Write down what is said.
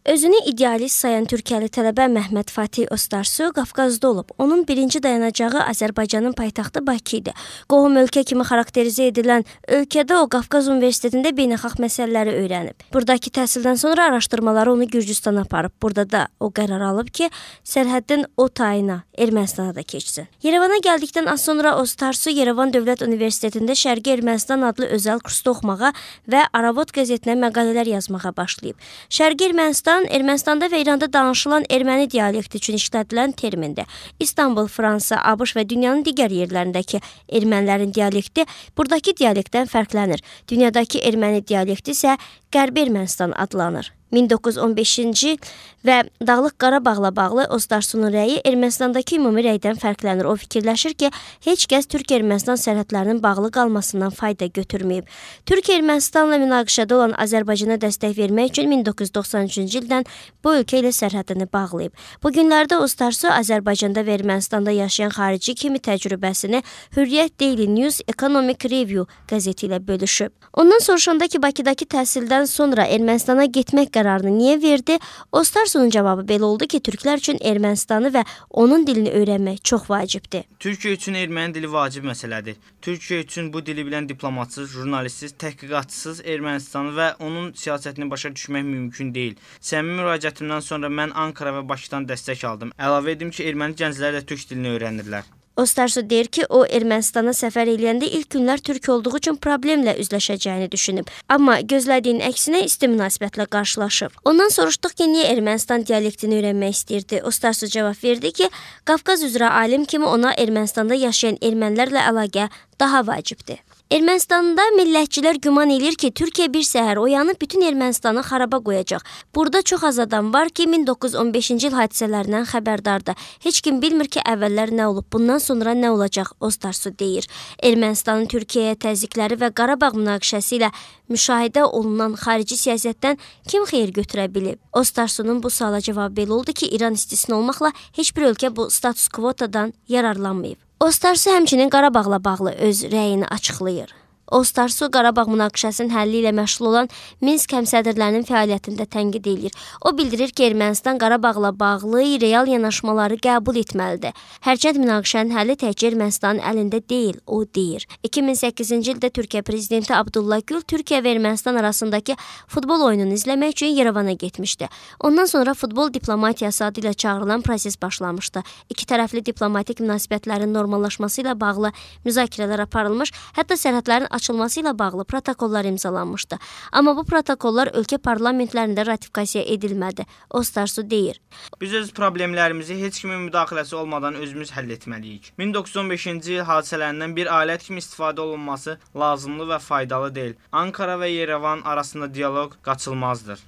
Özünü idealist sayan Türkiyəli tələbə Məhməd Fatih Ostarsu Qafqazda olub. Onun birinci dayanacağı Azərbaycanın paytaxtı Bakı idi. Qohum ölkə kimi xarakterizə edilən ölkədə o Qafqaz Universitetində beynəlxalq məsələləri öyrənib. Buradakı təhsildən sonra araşdırmaları onu Gürcüstana aparıb. Burada da o qərar alıb ki, sərhəddən o tayına Ermənistana da keçsin. Yerevana gəldikdən az sonra Ostarsu Yerevan Dövlət Universitetində Şərqi Ermənistan adlı özəl kursda oxumağa və Aravod qəzetinə məqalələr yazmağa başlayıb. Şərqi Ermənistanda və İranda danışılan erməni dialekti üçün işlədilən termindir. İstanbul, Fransa, ABŞ və dünyanın digər yerlərindəki ermənilərin dialekti buradakı dialektdən fərqlənir. Dünyadakı erməni dialekti isə Qərbi Ermənistan adlanır. 1915-ci il və Dağlıq Qarabağla bağlı Ostarsunun rəyi Ermənistandakı ümumi rəydən fərqlənir. O fikirləşir ki, heç kəs Türk-Ermənistan sərhədlərinin bağlı qalmasından fayda götürməyib. Türk-Ermənistanla münaqişədə olan Azərbaycana dəstək vermək üçün 1993-cü ildən bu ölkə ilə sərhədini bağlayıb. Bu günlərdə Ostarsu Azərbaycanda və Ermənistanda yaşayan xarici kimi təcrübəsini Hürriyyət Daily News Economic Review qəzeti ilə bölüşüb. Ondan soruşanda ki, Bakıdakı təhsildən sonra Ermənistana getmək qərarını niyə verdi? Ostarsunun cavabı belə oldu ki, türklər üçün Ermənistanı və onun dilini öyrənmək çox vacibdir. Türkiyə üçün erməni dili vacib məsələdir. Türkiyə üçün bu dili bilən diplomatsız, jurnalistsiz, təhqiqatçısız Ermənistanı və onun siyasətini başa düşmək mümkün deyil. Səmimi müraciətimdən sonra mən Ankara və Bakıdan dəstək aldım. Əlavə edim ki, erməni gənclər də türk dilini öyrənirlər. Ostarsu deyir ki, o Ermənistana səfər eləyəndə ilk günlər türk olduğu üçün problemlə üzləşəcəyini düşünüb. Amma gözlədiyin əksinə isti münasibətlə qarşılaşıb. Ondan soruşduq ki, niyə Ermənistan dialektini öyrənmək istəyirdi? Ostarsu cavab verdi ki, Qafqaz üzrə alim kimi ona Ermənistanda yaşayan ermənilərlə əlaqə daha vacibdir. Ermənistanda millətçilər güman edir ki, Türkiyə bir səhər oyanıb bütün Ermənistanı xaraba qoyacaq. Burada çox az adam var ki, 1915-ci il hadisələrindən xəbərdardır. Heç kim bilmir ki, əvvəllər nə olub, bundan sonra nə olacaq, Ostarsu deyir. Ermənistanın Türkiyəyə təzyiqləri və Qarabağ münaqişəsi ilə müşahidə olunan xarici siyasətdən kim xeyir götürə bilib? Ostarsunun bu suala cavabı belə oldu ki, İran istisna olmaqla heç bir ölkə bu status quotadan yararlanmayıb. Ostarsu həmçinin Qarabağla bağlı öz rəyini açıqlayır. Ostarsu Qarabağ münaqişəsinin həlli ilə məşğul olan Minsk həmsədrlərinin fəaliyyətində tənqid edir. O bildirir ki, Ermənistan Qarabağla bağlı real yanaşmaları qəbul etməlidir. Hərçənd münaqişənin həlli təkcə Ermənistanın əlində deyil, o deyir. 2008-ci ildə Türkiyə prezidenti Abdullah Gül Türkiyə və Ermənistan arasındakı futbol oyununu izləmək üçün Yerevana getmişdi. Ondan sonra futbol diplomatiyası adı ilə çağırılan proses başlamışdı. İki tərəfli diplomatik münasibətlərin normallaşması ilə bağlı müzakirələr aparılmış, hətta sərhədlərin açılması ilə bağlı protokollar imzalanmışdı. Amma bu protokollar ölkə parlamentlərində ratifikasiya edilmədi. Ostarsu deyir. Biz öz problemlərimizi heç kimin müdaxiləsi olmadan özümüz həll etməliyik. 1915-ci il hadisələrindən bir alət kimi istifadə olunması lazımlı və faydalı deyil. Ankara və Yerevan arasında dialoq qaçılmazdır.